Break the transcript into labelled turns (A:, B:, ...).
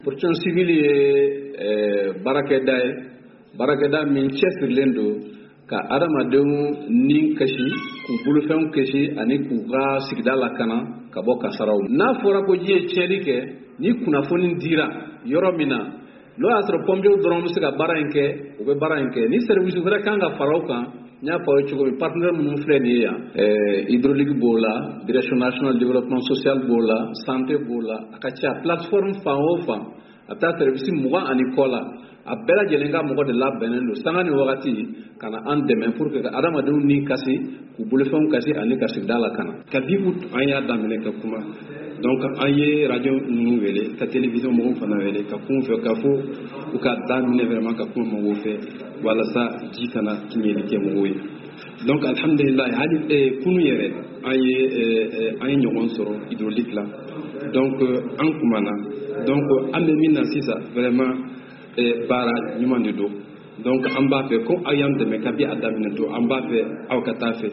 A: Protection civile ye baarakɛda ye, baarakɛda min cɛsirilen don ka adamadenw ni kasi, k'u bolofɛnw kisi ani k'u ka sigida lakana ka bɔ kasaraw. N'a fɔra ko ji ye tiɲɛni kɛ, ni kunnafoni dira yɔrɔ min na, n'o y'a sɔrɔ pompiers dɔrɔn bɛ se ka baara in kɛ, u bɛ baara in kɛ. Ni service wɛrɛ kan ka fara o kan, n y'a fɔ aw ye cogo min, partenaire minnu filɛ nin ye yan, hydraulique b'o la, Direction nationale développement social b'o la, santé b'o la, a ka ca plateforme fan o fan, a bɛ taa service 20 ani kɔ la, a bɛɛ lajɛlen ka mɔgɔ de labɛnnen don sanga ni wagati ka na an dɛmɛ pour que ka adamadenw ni kasi, k'u bolofɛnw kasi ani ka sigida lakana.
B: Kabi août an y'a daminɛ ka kuma. Donc an ye radio ninnu wele, ka télévision mɔgɔw fana wele ka kun fɛ, ka fɔ u ka daminɛ vraiment ka kuma mɔgɔw fɛ walasa ji kana tiɲɛli kɛ mɔgɔw ye. Donc alhamdulillah, hali kunu yɛrɛ an ye ɲɔgɔn sɔrɔ hydraulique la. Donc an kumana. Donc an bɛ min na sisan, vraiment baara ɲuman de don. Donc an b'a fɛ ko aw y'an dɛmɛ kabi a daminɛ to, an b'a fɛ aw ka taa fɛ.